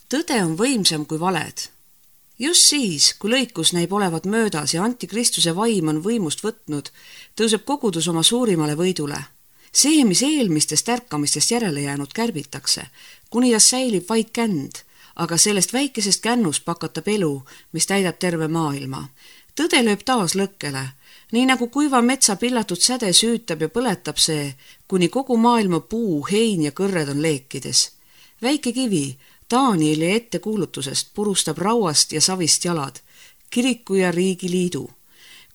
Tõde on võimsam kui valed. Just siis, kui lõikus näib olevat möödas ja antikristuse vaim on võimust võtnud, tõuseb kogudus oma suurimale võidule. See, mis eelmistest ärkamistest järele jäänud, kärbitakse, kuni ta säilib vaid känd, aga sellest väikesest kännust pakatab elu, mis täidab terve maailma. Tõde lööb taas lõkkele, nii nagu kuiva metsa pillatud säde süütab ja põletab see, kuni kogu maailma puu, hein ja kõrred on leekides. Väike kivi Danieli ettekuulutusest purustab rauast ja savist jalad, kiriku ja riigi liidu.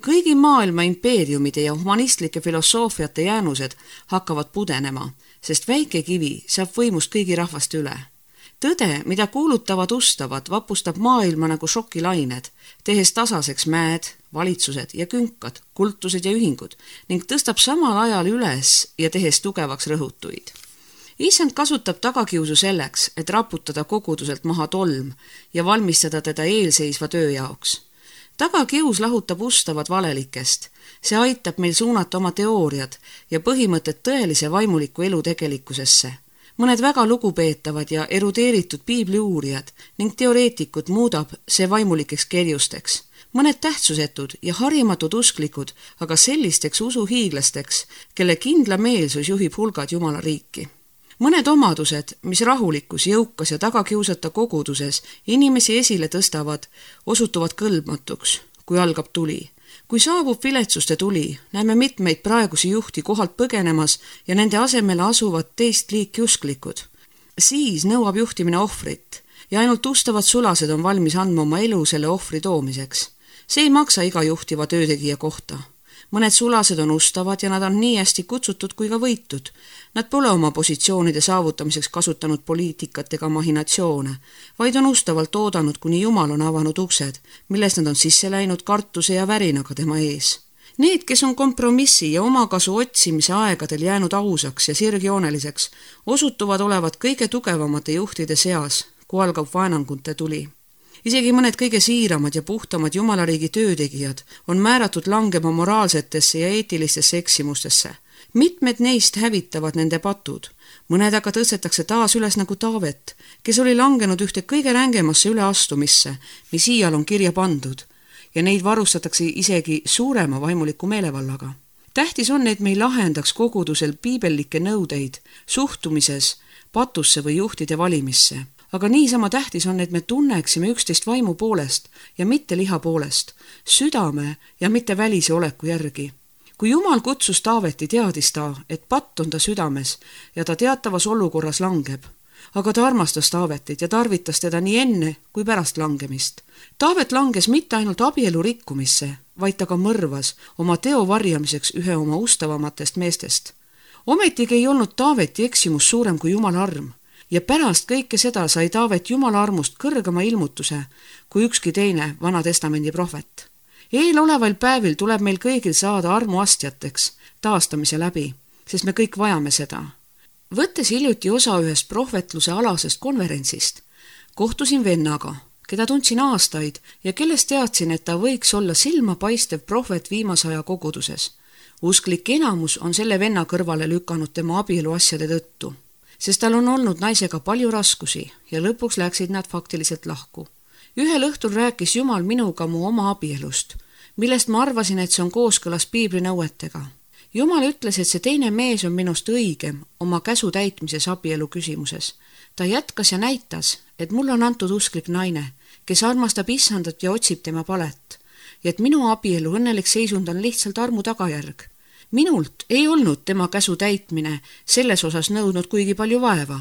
Kõigi maailma impeeriumide ja humanistlike filosoofiate jäänused hakkavad pudenema, sest väike kivi saab võimust kõigi rahvaste üle. Tõde, mida kuulutavad ustavad, vapustab maailma nagu šokilained, tehes tasaseks mäed, valitsused ja künkad, kultused ja ühingud ning tõstab samal ajal üles ja tehes tugevaks rõhutuid. Issand kasutab tagakiusu selleks, et raputada koguduselt maha tolm ja valmistada teda eelseisva töö jaoks. Tagakius lahutab ustavad valelikest. See aitab meil suunata oma teooriad ja põhimõtted tõelise vaimuliku elu tegelikkusesse. Mõned väga lugupeetavad ja erudeeritud piibliuurijad ning teoreetikud muudab see vaimulikeks kerjusteks. Mõned tähtsusetud ja harimatud usklikud, aga sellisteks usuhiiglasteks, kelle kindla meelsus juhib hulgad Jumala riiki. Mõned omadused, mis rahulikus, jõukas ja tagakiusata koguduses inimesi esile tõstavad, osutuvad kõlbmatuks, kui algab tuli. Kui saabub viletsuste tuli, näeme mitmeid praegusi juhti kohalt põgenemas ja nende asemele asuvad teist liiki usklikud. Siis nõuab juhtimine ohvrit ja ainult ustavad sulased on valmis andma oma elu selle ohvri toomiseks. See ei maksa iga juhtiva töötegija kohta. Mõned sulased on ustavad ja nad on nii hästi kutsutud kui ka võitud. Nad pole oma positsioonide saavutamiseks kasutanud poliitikat ega mahinatsioone, vaid on ustavalt oodanud, kuni Jumal on avanud uksed, milles nad on sisse läinud kartuse ja värinaga tema ees. Need, kes on kompromissi ja omakasu otsimise aegadel jäänud ausaks ja sirgjooneliseks, osutuvad olevat kõige tugevamate juhtide seas, kui algab vaenangute tuli. Isegi mõned kõige siiramad ja puhtamad Jumalariigi töötegijad on määratud langema moraalsetesse ja eetilistesse eksimustesse. Mitmed neist hävitavad nende patud. Mõned aga tõstetakse taas üles nagu Taavet, kes oli langenud ühte kõige rängemasse üleastumisse, mis iial on kirja pandud, ja neid varustatakse isegi suurema vaimuliku meelevallaga. Tähtis on, et me ei lahendaks kogudusel piibellikke nõudeid suhtumises patusse või juhtide valimisse. Aga niisama tähtis on, et me tunneksime üksteist vaimu poolest ja mitte liha poolest, südame ja mitte välise oleku järgi. Kui Jumal kutsus Taaveti, teadis ta, et patt on ta südames ja ta teatavas olukorras langeb. Aga ta armastas Taavetit ja tarvitas teda nii enne kui pärast langemist. Taavet langes mitte ainult abielu rikkumisse, vaid ta ka mõrvas oma teo varjamiseks ühe oma ustavamatest meestest. Ometigi ei olnud Taaveti eksimus suurem kui Jumala arm. Ja pärast kõike seda sai Taavet Jumala armust kõrgema ilmutuse kui ükski teine Vana Testamendi prohvet. Eeloleval päevil tuleb meil kõigil saada armuastjateks taastamise läbi, sest me kõik vajame seda. Võttes hiljuti osa ühest prohvetluse alasest konverentsist, kohtusin vennaga, keda tundsin aastaid ja kellest teadsin, et ta võiks olla silmapaistev prohvet viimase aja koguduses. Usklik enamus on selle venna kõrvale lükanud tema abieluasjade tõttu, sest tal on olnud naisega palju raskusi ja lõpuks läksid nad faktiliselt lahku. Ühel õhtul rääkis Jumal minuga mu oma abielust, millest ma arvasin, et see on kooskõlas piibli nõuetega. Jumal ütles, et see teine mees on minust õigem oma käsu täitmises abielu küsimuses. Ta jätkas ja näitas, et mulle on antud usklik naine, kes armastab Issandat ja otsib tema palet, ja et minu abielu õnnelik seisund on lihtsalt armu tagajärg. Minult ei olnud tema käsu täitmine selles osas nõudnud kuigi palju vaeva,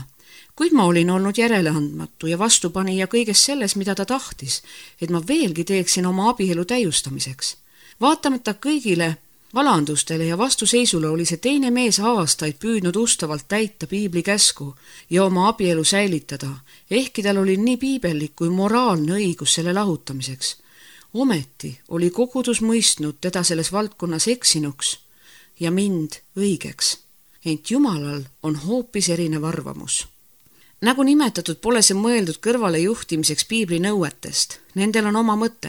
kuid ma olin olnud järeleandmatu ja vastupanija kõiges selles, mida ta tahtis, et ma veelgi teeksin oma abielu täiustamiseks. Vaatamata kõigile valandustele ja vastuseisule oli see teine mees aastaid püüdnud ustavalt täita piibli käsku ja oma abielu säilitada, ehkki tal oli nii piibellik kui moraalne õigus selle lahutamiseks. Ometi oli kogudus mõistnud teda selles valdkonnas eksinuks ja mind õigeks. Ent Jumalal on hoopis erinev arvamus. Nagu nimetatud, pole see mõeldud kõrvale juhtimiseks piibli nõuetest. Nendel on oma mõte,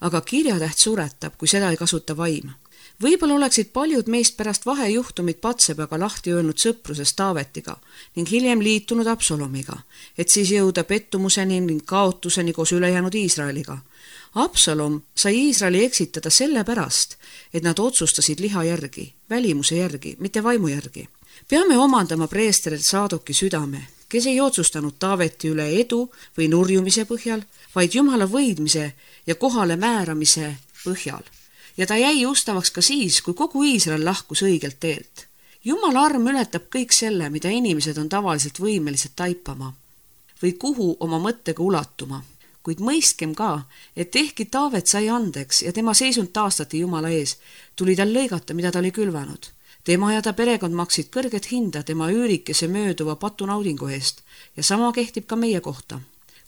aga kirjatäht suretab, kui seda ei kasuta vaim. Võib-olla oleksid paljud meist pärast vahejuhtumit Patsebaga lahti öelnud sõprusest Taavetiga ning hiljem liitunud Absalomiga, et siis jõuda pettumuseni ning kaotuseni koos ülejäänud Iisraeliga. Absalom sai Iisraeli eksitada sellepärast, et nad otsustasid liha järgi, välimuse järgi, mitte vaimu järgi. Peame omandama preester Saadoki südame, kes ei otsustanud Taaveti üle edu või nurjumise põhjal, vaid Jumala võidmise ja kohale määramise põhjal. Ja ta jäi ustavaks ka siis, kui kogu Iisrael lahkus õigelt teelt. Jumala arm ületab kõik selle, mida inimesed on tavaliselt võimelised taipama või kuhu oma mõttega ulatuma. Kuid mõistkem ka, et ehkki Taavet sai andeks ja tema seisund taastati Jumala ees, tuli tal lõigata, mida ta oli külvanud. Tema ja ta perekond maksid kõrget hinda tema üürikese mööduva patunaudingu eest ja sama kehtib ka meie kohta.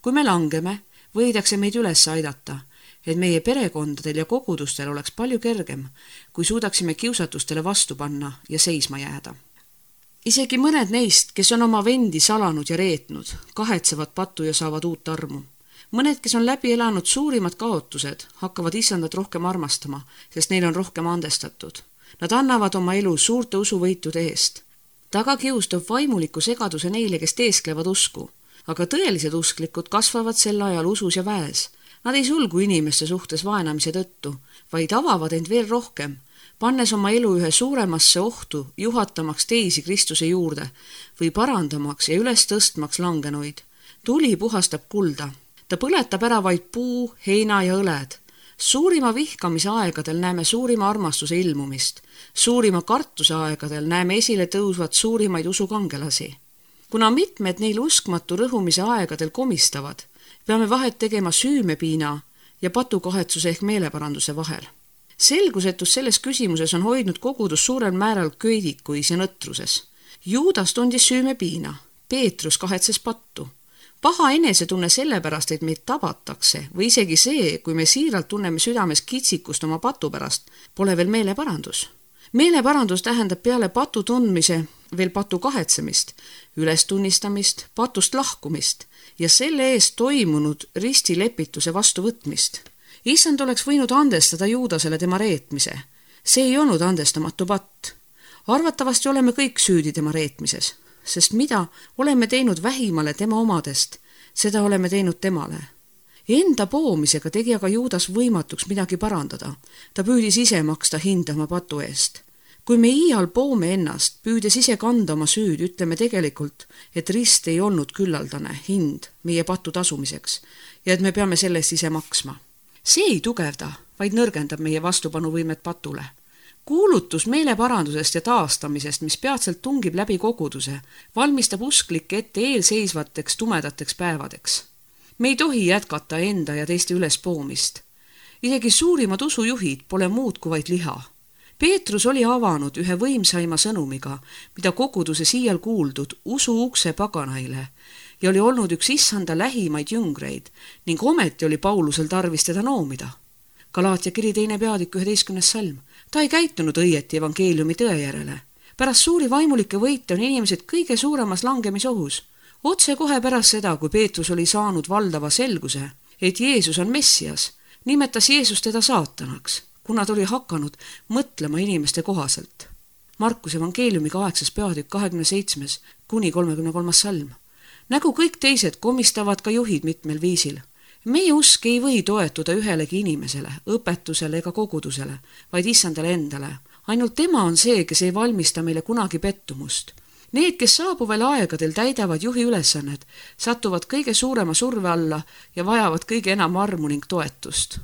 Kui me langeme, võidakse meid üles aidata, et meie perekondadel ja kogudustel oleks palju kergem, kui suudaksime kiusatustele vastu panna ja seisma jääda. Isegi mõned neist, kes on oma vendi salanud ja reetnud, kahetsevad pattu ja saavad uut armu. Mõned, kes on läbi elanud suurimad kaotused, hakkavad isandat rohkem armastama, sest neil on rohkem andestatud. Nad annavad oma elu suurte usuvõitude eest. Taga kiustab vaimuliku segaduse neile, kes teesklevad usku, aga tõelised usklikud kasvavad sel ajal usus ja väes. Nad ei sulgu inimeste suhtes vaenamise tõttu, vaid avavad end veel rohkem, pannes oma elu ühe suuremasse ohtu, juhatamaks teisi Kristuse juurde või parandamaks ja üles tõstmaks langenuid. Tuli puhastab kulda. Ta põletab ära vaid puu, heina ja õled. Suurima vihkamise aegadel näeme suurima armastuse ilmumist. Suurima kartuse aegadel näeme esile tõusvat suurimaid usukangelasi. Kuna mitmed neil uskmatu rõhumise aegadel komistavad, peame vahet tegema süümepiina ja patukahetsuse ehk meeleparanduse vahel. Selgusetus selles küsimuses on hoidnud kogudus suurel määral köidikuis ja nõtruses. Juudas tundis süümepiina, Peetrus kahetses pattu. Paha enesetunne sellepärast, et meid tabatakse või isegi see, kui me siiralt tunneme südames kitsikust oma patu pärast, pole veel meeleparandus. Meeleparandus tähendab peale patu tundmise veel patu kahetsemist, ülestunnistamist, patust lahkumist ja selle eest toimunud ristilepituse vastuvõtmist. Issand oleks võinud andestada Juudasele tema reetmise. See ei olnud andestamatu patt. Arvatavasti oleme kõik süüdi tema reetmises, sest mida oleme teinud vähimale tema omadest, seda oleme teinud temale. Enda poomisega tegi aga Juudas võimatuks midagi parandada. Ta püüdis ise maksta hinda oma patu eest. Kui me iial poome ennast, püüdes ise kanda oma süüd, ütleme tegelikult, et rist ei olnud küllaldane hind meie patu tasumiseks ja et me peame sellest ise maksma. See ei tugevda, vaid nõrgendab meie vastupanuvõimet patule. Kuulutus meeleparandusest ja taastamisest, mis peatselt tungib läbi koguduse, valmistab usklikke ette eelseisvateks tumedateks päevadeks. Me ei tohi jätkata enda ja teiste ülespoomist. Isegi suurimad usujuhid pole muud kui vaid liha. Peetrus oli avanud ühe võimsaima sõnumiga, mida koguduse siial kuuldud usu ukse paganaile ja oli olnud üks issanda lähimaid jüngreid ning ometi oli Paulusel tarvis teda noomida. Galaatia kiri 2. peatükk 11. salm. Ta ei käitunud õieti evangeeliumi tõe järele. Pärast suuri vaimulike võite on inimesed kõige suuremas langemisohus. Otse kohe pärast seda, kui Peetrus oli saanud valdava selguse, et Jeesus on Messias, nimetas Jeesus teda saatanaks, kuna ta oli hakanud mõtlema inimeste kohaselt. Markus evangeeliumi 8. peatükk 27. kuni 33. salm. Nagu kõik teised komistavad ka juhid mitmel viisil. Meie usk ei või toetuda ühelegi inimesele, õpetusele ega kogudusele, vaid issandale endale. Ainult tema on see, kes ei valmista meile kunagi pettumust. Need, kes saabuvel aegadel täidavad juhi ülesanned, satuvad kõige suurema surve alla ja vajavad kõige enam armu ning toetust.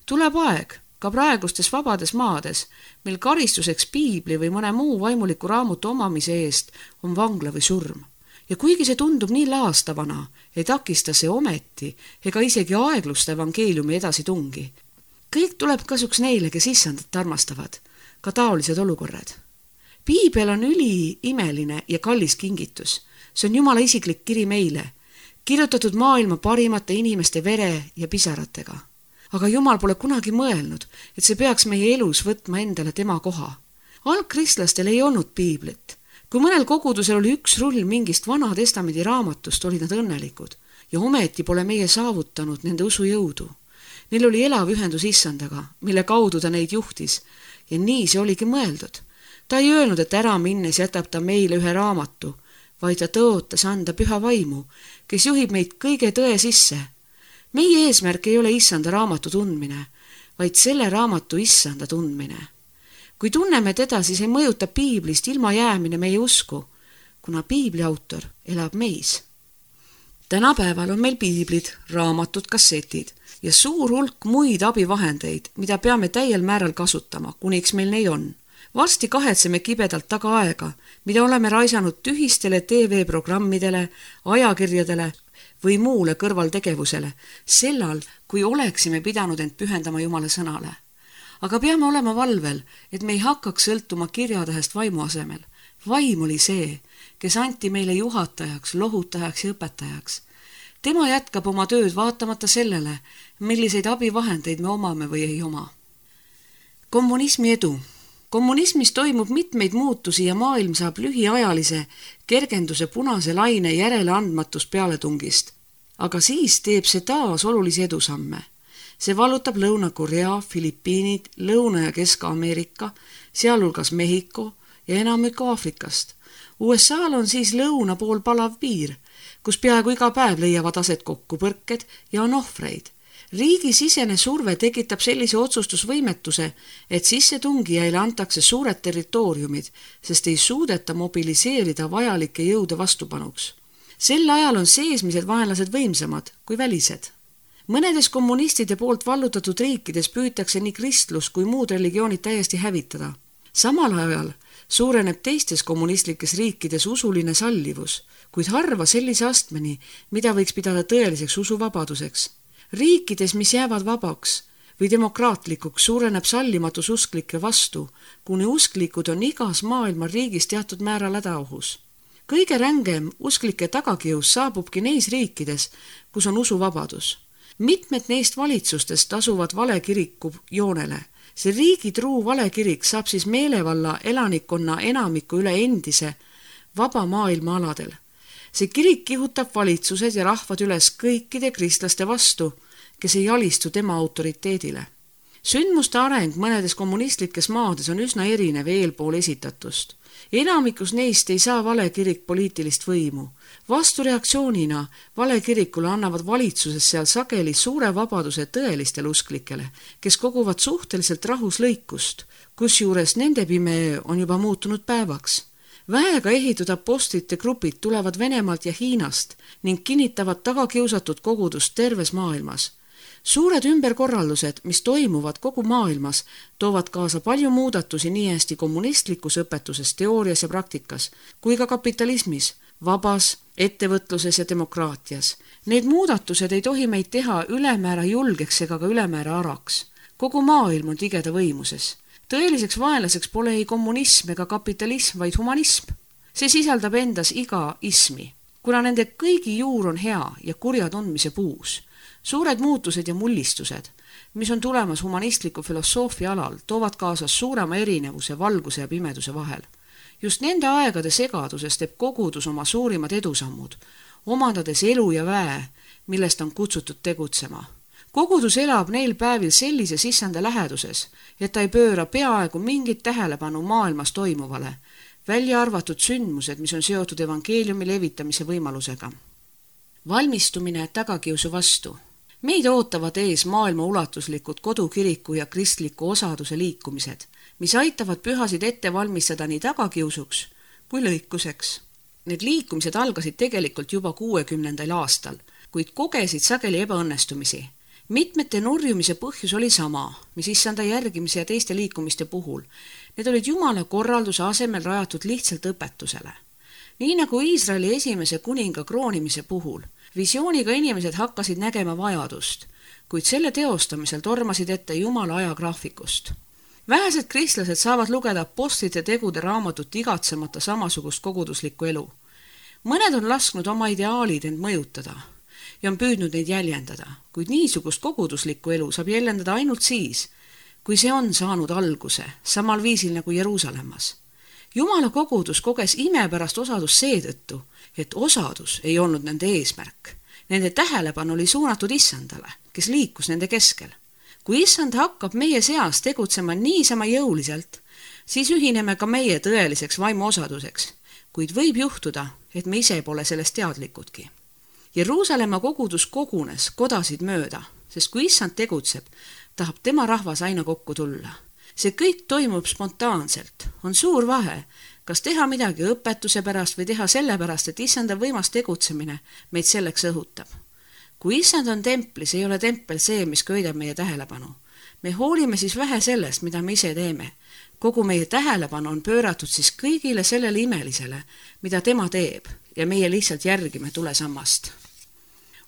Tuleb aeg, ka praegustes vabades maades, mil karistuseks piibli või mõne muu vaimuliku raamatu omamise eest on vangla või surm. Ja kuigi see tundub nii laastavana, ei takista see ometi ega isegi aeglusta evangeeliumi edasi tungi. Kõik tuleb kasuks neile, kes issandat armastavad, ka taolised olukorrad. Piibel on üliimeline ja kallis kingitus. See on Jumala isiklik kiri meile, kirjutatud maailma parimate inimeste vere ja pisaratega. Aga Jumal pole kunagi mõelnud, et see peaks meie elus võtma endale tema koha. Algkristlastel ei olnud piiblit. Kui mõnel kogudusel oli üks rull mingist Vana Testamendi raamatust, olid nad õnnelikud ja ometi pole meie saavutanud nende usujõudu. Neil oli elav ühendus issandaga, mille kaudu ta neid juhtis Ja nii see oligi mõeldud. Ta ei öelnud, et ära minnes jätab ta meile ühe raamatu, vaid ta tõotas anda Püha Vaimu, kes juhib meid kõige tõe sisse. Meie eesmärk ei ole issanda raamatu tundmine, vaid selle raamatu issanda tundmine. Kui tunneme teda, siis ei mõjuta piiblist ilma jäämine meie usku, kuna piibli autor elab meis. Tänapäeval on meil piiblid, raamatud, kassetid ja suur hulk muid abivahendeid, mida peame täiel määral kasutama, kuniks meil neid on. Varsti kahetseme kibedalt taga aega, mida oleme raisanud tühistele TV-programmidele, ajakirjadele või muule kõrvaltegevusele, sellal, kui oleksime pidanud end pühendama Jumala sõnale. Aga peame olema valvel, et me ei hakkaks sõltuma kirjatähest vaimu asemel. Vaim oli see, kes anti meile juhatajaks, lohutajaks ja õpetajaks. Tema jätkab oma tööd vaatamata sellele, milliseid abivahendeid me omame või ei oma. Kommunismi edu. Kommunismis toimub mitmeid muutusi ja maailm saab lühiajalise kergenduse punase laine järeleandmatus pealetungist. Aga siis teeb see taas olulisi edusamme. See vallutab Lõuna-Korea, Filipiinid, Lõuna- ja Kesk-Ameerika, sealhulgas Mehhiko ja enamik Aafrikast. USA-l on siis lõuna pool palav piir, kus peaaegu iga päev leiavad aset kokkupõrked ja on ohvreid. Riigi sisene surve tekitab sellise otsustusvõimetuse, et sissetungijaile antakse suured territooriumid, sest ei suudeta mobiliseerida vajalikke jõude vastupanuks. Sel ajal on seesmised vaenlased võimsamad kui välised. Mõnedes kommunistide poolt vallutatud riikides püütakse nii kristlus kui muud religioonid täiesti hävitada. Samal ajal suureneb teistes kommunistlikes riikides usuline sallivus, kuid harva sellise astmeni, mida võiks pidada tõeliseks usuvabaduseks. Riikides, mis jäävad vabaks või demokraatlikuks, suureneb sallimatus usklike vastu, kuni usklikud on igas maailma riigis teatud määral hädaohus. Kõige rängem usklike tagakius saabubki neis riikides, kus on usuvabadus. Mitmed neist valitsustest asuvad valekiriku joonele. See riigitruu valekirik saab siis meelevalla elanikkonna enamiku üle endise vaba maailma aladel. See kirik kihutab valitsused ja rahvad üles kõikide kristlaste vastu, kes ei alistu tema autoriteedile. Sündmuste areng mõnedes kommunistlikes maades on üsna erinev eelpool esitatust. Enamikus neist ei saa valekirik poliitilist võimu. Vastureaktsioonina valekirikule annavad valitsuses seal sageli suure vabaduse tõelistele usklikele, kes koguvad suhteliselt rahus lõikust, kusjuures nende pime on juba muutunud päevaks. Väega ehitud apostlite grupid tulevad Venemaalt ja Hiinast ning kinnitavad tagakiusatud kogudust terves maailmas. Suured ümberkorraldused, mis toimuvad kogu maailmas, toovad kaasa palju muudatusi nii hästi kommunistlikus õpetuses, teoorias ja praktikas, kui ka kapitalismis, vabas, ettevõtluses ja demokraatias. Need muudatused ei tohi meid teha ülemäära julgeks ega ka ülemäära araks. Kogu maailm on tigeda võimuses. Tõeliseks vaenlaseks pole ei kommunism ega kapitalism, vaid humanism. See sisaldab endas iga ismi, kuna nende kõigi juur on hea ja kurja tundmise puus. Suured muutused ja mullistused, mis on tulemas humanistliku filosoofia alal, toovad kaasas suurema erinevuse valguse ja pimeduse vahel. Just nende aegade segaduses teeb kogudus oma suurimad edusammud, omandades elu ja väe, millest on kutsutud tegutsema. Kogudus elab neil päevil sellises issanda läheduses, et ta ei pööra peaaegu mingit tähelepanu maailmas toimuvale, välja arvatud sündmused, mis on seotud evangeeliumi levitamise võimalusega. Valmistumine tagakiusu vastu. Meid ootavad ees maailma ulatuslikud kodukiriku ja kristliku osaduse liikumised, mis aitavad pühasid ette valmistada nii tagakiusuks kui lõikuseks. Need liikumised algasid tegelikult juba 60. aastal, kuid kogesid sageli ebaõnnestumisi. Mitmete nurjumise põhjus oli sama, mis issanda järgimise ja teiste liikumiste puhul. Need olid Jumala korralduse asemel rajatud lihtsalt õpetusele. Nii nagu Iisraeli esimese kuninga kroonimise puhul, visiooniga inimesed hakkasid nägema vajadust, kuid selle teostamisel tormasid ette Jumala ajagraafikust. Vähesed kristlased saavad lugeda apostlite tegude raamatut igatsemata samasugust koguduslikku elu. Mõned on lasknud oma ideaalid end mõjutada ja on püüdnud neid jäljendada, kuid niisugust koguduslikku elu saab jäljendada ainult siis, kui see on saanud alguse, samal viisil nagu Jeruusalemmas. Jumala kogudus koges imepärast osadus seetõttu, et osadus ei olnud nende eesmärk. Nende tähelepanu oli suunatud issandale, kes liikus nende keskel. kui issand hakkab meie seas tegutsema niisama jõuliselt, siis ühineme ka meie tõeliseks vaimuosaduseks, kuid võib juhtuda, et me ise pole sellest teadlikudki. Jeruusalemma kogudus kogunes kodasid mööda, sest kui issand tegutseb, tahab tema rahvas aina kokku tulla. See kõik toimub spontaanselt. On suur vahe, kas teha midagi õpetuse pärast või teha sellepärast, et issanda võimas tegutsemine meid selleks õhutab. Kui issand on templis, ei ole tempel see, mis köidab meie tähelepanu. Me hoolime siis vähe sellest, mida me ise teeme. Kogu meie tähelepanu on pööratud siis kõigile sellele imelisele, mida tema teeb ja meie lihtsalt järgime tulesammast.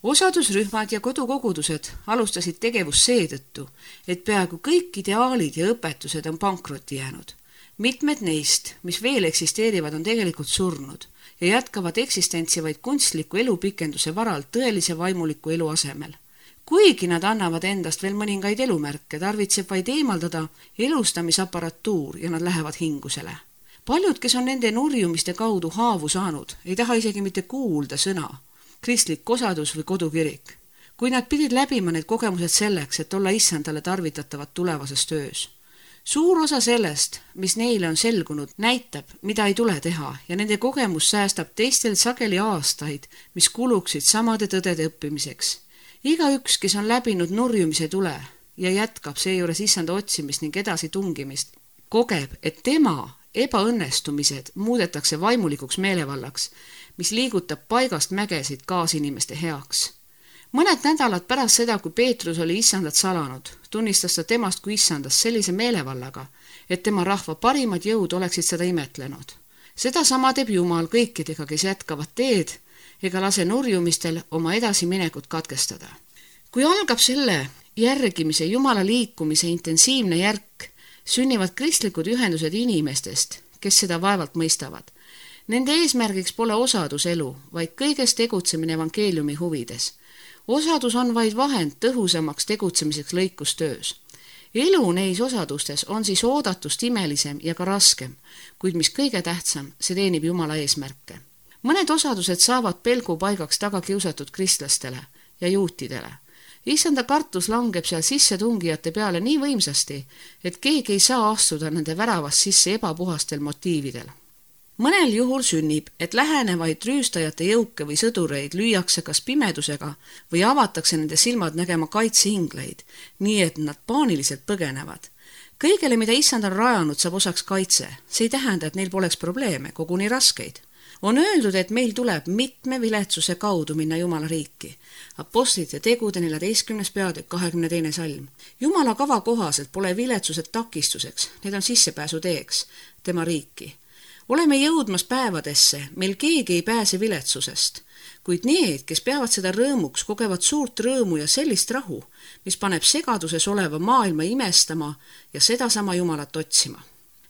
Osadusrühmad ja kodukogudused alustasid tegevust seetõttu, et peaaegu kõik ideaalid ja õpetused on pankrotti jäänud. Mitmed neist, mis veel eksisteerivad, on tegelikult surnud ja jätkavad eksistentsi vaid kunstliku elupikenduse varal tõelise vaimuliku elu asemel. Kuigi nad annavad endast veel mõningaid elumärke, tarvitseb vaid eemaldada elustamisapparatuur ja nad lähevad hingusele. Paljud, kes on nende nurjumiste kaudu haavu saanud, ei taha isegi mitte kuulda sõna, kristlik osadus või kodukirik, kui nad pidid läbima need kogemused selleks, et olla issandale tarvitatavad tulevases töös. Suur osa sellest, mis neile on selgunud, näitab, mida ei tule teha ja nende kogemus säästab teistel sageli aastaid, mis kuluksid samade tõdede õppimiseks. Igaüks, kes on läbinud nurjumise tule ja jätkab seejuures issanda otsimist ning edasi tungimist, kogeb, et tema ebaõnnestumised muudetakse vaimulikuks meelevallaks, mis liigutab paigast mägesid kaasinimeste heaks. Mõned nädalad pärast seda, kui Peetrus oli issandat salanud, tunnistas ta temast kui issandast sellise meelevallaga, et tema rahva parimad jõud oleksid seda imetlenud. Seda sama teeb Jumal kõikidega, kes jätkavad teed ega lase nurjumistel oma edasiminekut katkestada. Kui algab selle järgimise Jumala liikumise intensiivne järk, sünnivad kristlikud ühendused inimestest, kes seda vaevalt mõistavad. Nende eesmärgiks pole osaduselu, vaid kõiges tegutsemine evangeeliumi huvides. Osadus on vaid vahend tõhusamaks tegutsemiseks lõikustöös. Elu neis osadustes on siis oodatust imelisem ja ka raskem, kuid mis kõige tähtsam, see teenib Jumala eesmärke. Mõned osadused saavad pelgu paigaks taga kiusatud kristlastele ja juutidele. Issanda kartus langeb seal sissetungijate peale nii võimsasti, et keegi ei saa astuda nende väravast sisse ebapuhastel motiividel. Mõnel juhul sünnib, et lähenevaid rüüstajate jõuke või sõdureid lüüakse kas pimedusega või avatakse nende silmad nägema kaitsehingleid, nii et nad paaniliselt põgenevad. Kõigele, mida issand on rajanud, saab osaks kaitse. See ei tähenda, et neil poleks probleeme, koguni raskeid. On öeldud, et meil tuleb mitme viletsuse kaudu minna Jumala riiki. Apostlite tegude 14. peatükk 22. salm. Jumala kava kohaselt pole viletsused takistuseks, need on sissepääsu teeks tema riiki. Oleme jõudmas päevadesse, meil keegi ei pääse viletsusest, kuid need, kes peavad seda rõõmuks, kogevad suurt rõõmu ja sellist rahu, mis paneb segaduses oleva maailma imestama ja sedasama Jumalat otsima.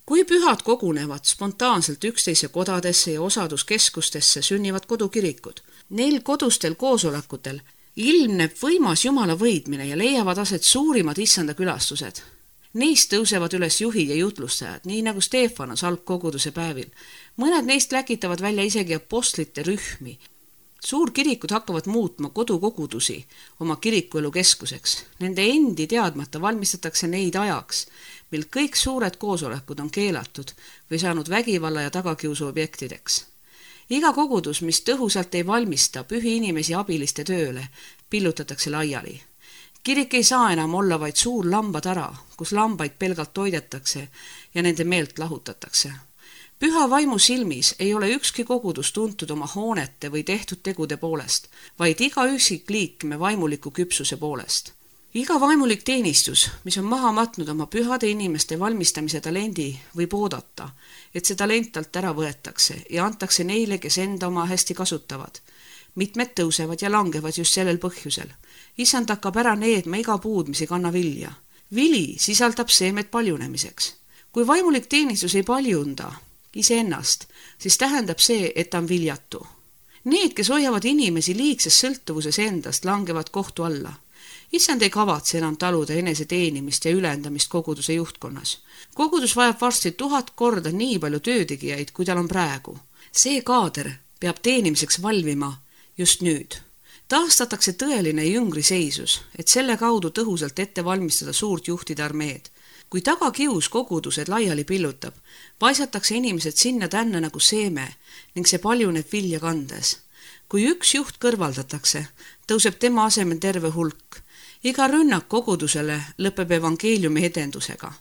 Kui pühad kogunevad spontaanselt üksteise kodadesse ja osaduskeskustesse, sünnivad kodukirikud. Neil kodustel koosolekutel ilmneb võimas Jumala võidmine ja leiavad aset suurimad issanda külastused. Neist tõusevad üles juhid ja jutlustajad, nii nagu Stefanos algkoguduse päevil. Mõned neist läkitavad välja isegi apostlite rühmi. Suurkirikud hakkavad muutma kodukogudusi oma kirikuelu keskuseks. Nende endi teadmata valmistatakse neid ajaks, mil kõik suured koosolekud on keelatud või saanud vägivalla ja tagakiusu objektideks. Iga kogudus, mis tõhusalt ei valmista pühi inimesi abiliste tööle, pillutatakse laiali. Kirik ei saa enam olla vaid suur lambatara, kus lambaid pelgalt toidetakse ja nende meelt lahutatakse. Püha vaimu silmis ei ole ükski kogudus tuntud oma hoonete või tehtud tegude poolest, vaid iga üksik liikme vaimuliku küpsuse poolest. Iga vaimulik teenistus, mis on maha matnud oma pühade inimeste valmistamise talendi, võib oodata, et see talent alt ära võetakse ja antakse neile, kes enda oma hästi kasutavad. Mitmed tõusevad ja langevad just sellel põhjusel. Issand hakkab ära needma iga puud, mis ei kanna vilja. Vili sisaldab seemed paljunemiseks. Kui vaimulik teenistus ei paljunda iseennast, siis tähendab see, et ta on viljatu. Need, kes hoiavad inimesi liigses sõltuvuses endast, langevad kohtu alla. Issand ei kavatse enam taluda enese teenimist ja ülendamist koguduse juhtkonnas. Kogudus vajab varsti 1000 korda nii palju töötegijaid, kui tal on praegu. See kaader peab teenimiseks valvima just nüüd. Taastatakse tõeline jüngriseisus, et selle kaudu tõhusalt ette valmistada suurt juhtide armeed. Kui tagakius kogudused laiali pillutab, paisatakse inimesed sinna-tänna nagu seeme ning see paljuneb vilja kandes. Kui üks juht kõrvaldatakse, tõuseb tema asemel terve hulk. Iga rünnak kogudusele lõpeb evangeeliumi edendusega.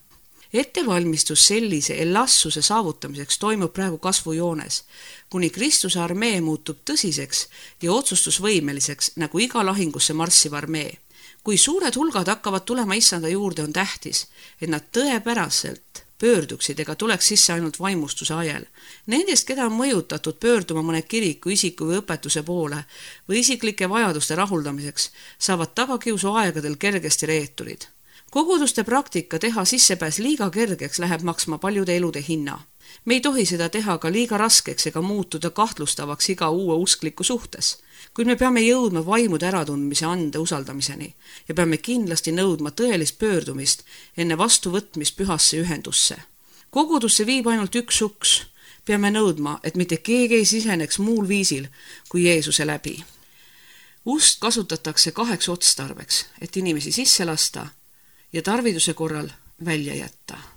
Ettevalmistus sellise elassuse saavutamiseks toimub praegu kasvujoones, kuni Kristuse armee muutub tõsiseks ja otsustusvõimeliseks nagu iga lahingusse marssiv armee. Kui suured hulgad hakkavad tulema issanda juurde, on tähtis, et nad tõepäraselt pöörduksid ega tuleks sisse ainult vaimustuse ajel. Nendest, keda on mõjutatud pöörduma mõne kiriku, isiku või õpetuse poole või isiklike vajaduste rahuldamiseks, saavad tagakiusu aegadel kergesti reeturid. Koguduste praktika teha sissepääs liiga kergeks läheb maksma paljude elude hinna. Me ei tohi seda teha ka liiga raskeks ega muutuda kahtlustavaks iga uue uskliku suhtes, kuid me peame jõudma vaimude äratundmise ande usaldamiseni ja peame kindlasti nõudma tõelist pöördumist enne vastuvõtmist pühasse ühendusse. Kogudusse viib ainult üks uks. Peame nõudma, et mitte keegi ei siseneks muul viisil kui Jeesuse läbi. Ust kasutatakse 2 otstarbeks, et inimesi sisse lasta ja tarviduse korral välja jätta.